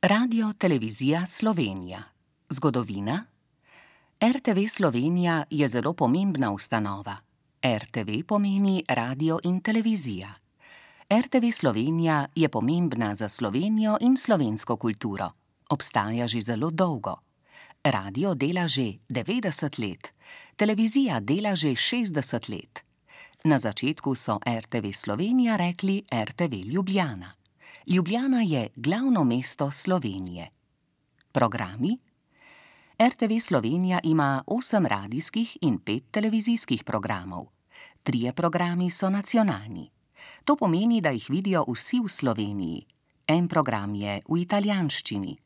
Radio Televizija Slovenija. Zgodovina. RTV Slovenija je zelo pomembna ustanova. RTV pomeni radio in televizija. RTV Slovenija je pomembna za Slovenijo in slovensko kulturo. Obstaja že zelo dolgo. Radio dela že 90 let, televizija dela že 60 let. Na začetku so RTV Slovenija rekli RTV Ljubljana. Ljubljana je glavno mesto Slovenije. Programi. RTV Slovenija ima 8 radijskih in 5 televizijskih programov. 3 programi so nacionalni. To pomeni, da jih vidijo vsi v Sloveniji. En program je v italijanščini.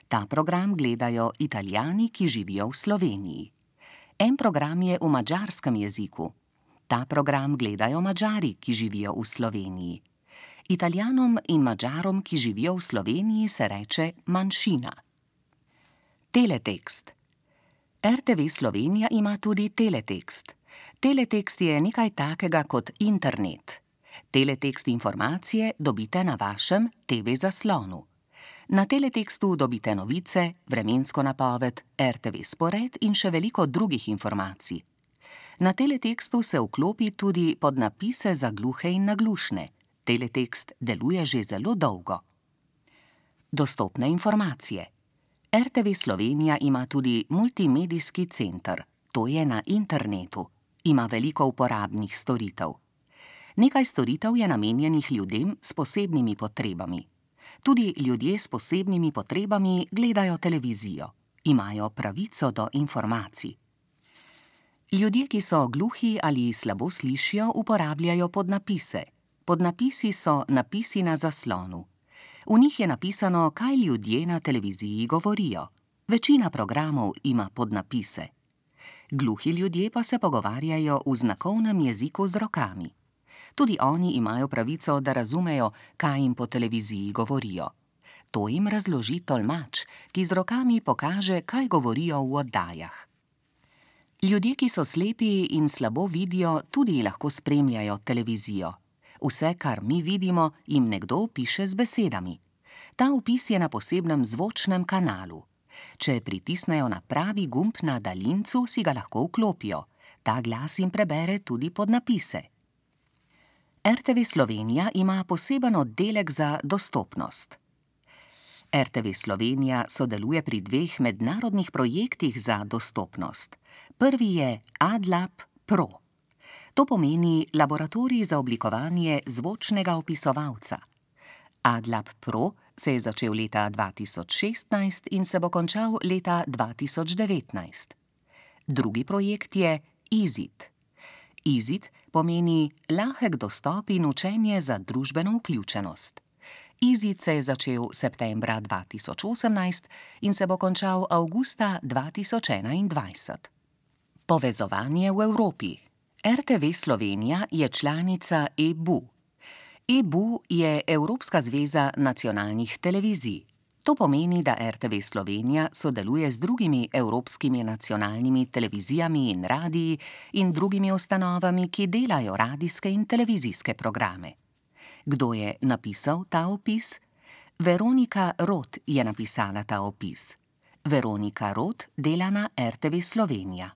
Ta program gledajo Italijani, ki živijo v Sloveniji. En program je v madžarskem jeziku. Ta program gledajo Madžari, ki živijo v Sloveniji. Italijanom in Madžarom, ki živijo v Sloveniji, se reče manjšina. Teletekst. RTV Slovenija ima tudi teletekst. Teletekst je nekaj takega kot internet. Teletekst informacije dobite na vašem TV zaslonu. Na teletekstu dobite novice, vremensko napoved, RTV spored in še veliko drugih informacij. Na teletekstu se vklopi tudi podnapise za gluhe in naglušne. Teletekst deluje že zelo dolgo. Dostopne informacije. RTV Slovenija ima tudi multimedijski center. To je na internetu. Ima veliko uporabnih storitev. Nekaj storitev je namenjenih ljudem s posebnimi potrebami. Tudi ljudje s posebnimi potrebami gledajo televizijo. Imajo pravico do informacij. Ljudje, ki so gluhi ali slabo slišijo, uporabljajo podnapise. Podnapisi so napisi na zaslonu. V njih je napisano, kaj ljudje na televiziji govorijo. Večina programov ima podnapise. Gluhi ljudje pa se pogovarjajo v znakovnem jeziku z rokami. Tudi oni imajo pravico, da razumejo, kaj jim po televiziji govorijo. To jim razloži tolmač, ki z rokami pokaže, kaj govorijo v oddajah. Ljudje, ki so slepi in slabo vidijo, tudi lahko spremljajo televizijo. Vse, kar mi vidimo, jim nekdo opiše z besedami. Ta opis je na posebnem zvočnem kanalu. Če pritisnejo na pravi gumb na daljincu, si ga lahko vklopijo. Ta glas jim prebere tudi podnapise. RTV Slovenija ima poseben oddelek za dostopnost. RTV Slovenija sodeluje pri 2 mednarodnih projektih za dostopnost. Prvi je AdLab Pro. To pomeni laboratorij za oblikovanje zvočnega opisovalca. AdLab Pro se je začel leta 2016 in se bo končal leta 2019. Drugi projekt je EasyIt. EasyIt pomeni lahek dostop in učenje za družbeno vključenost. EasyIt se je začel septembra 2018 in se bo končal avgusta 2021. Povezovanje v Evropi. RTV Slovenija je članica EBU. EBU je Evropska zveza nacionalnih televizij. To pomeni, da RTV Slovenija sodeluje z drugimi evropskimi nacionalnimi televizijami in radiji in drugimi ustanovami, ki delajo radijske in televizijske programe. Kdo je napisal ta opis? Veronika Rot je napisala ta opis. Veronika Rot dela na RTV Slovenija.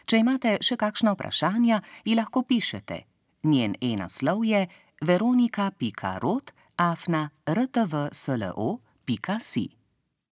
Če imate še kakšna vprašanja, ji lahko pišete. Njen e-naslov je veronika.rot@rtvslo.si.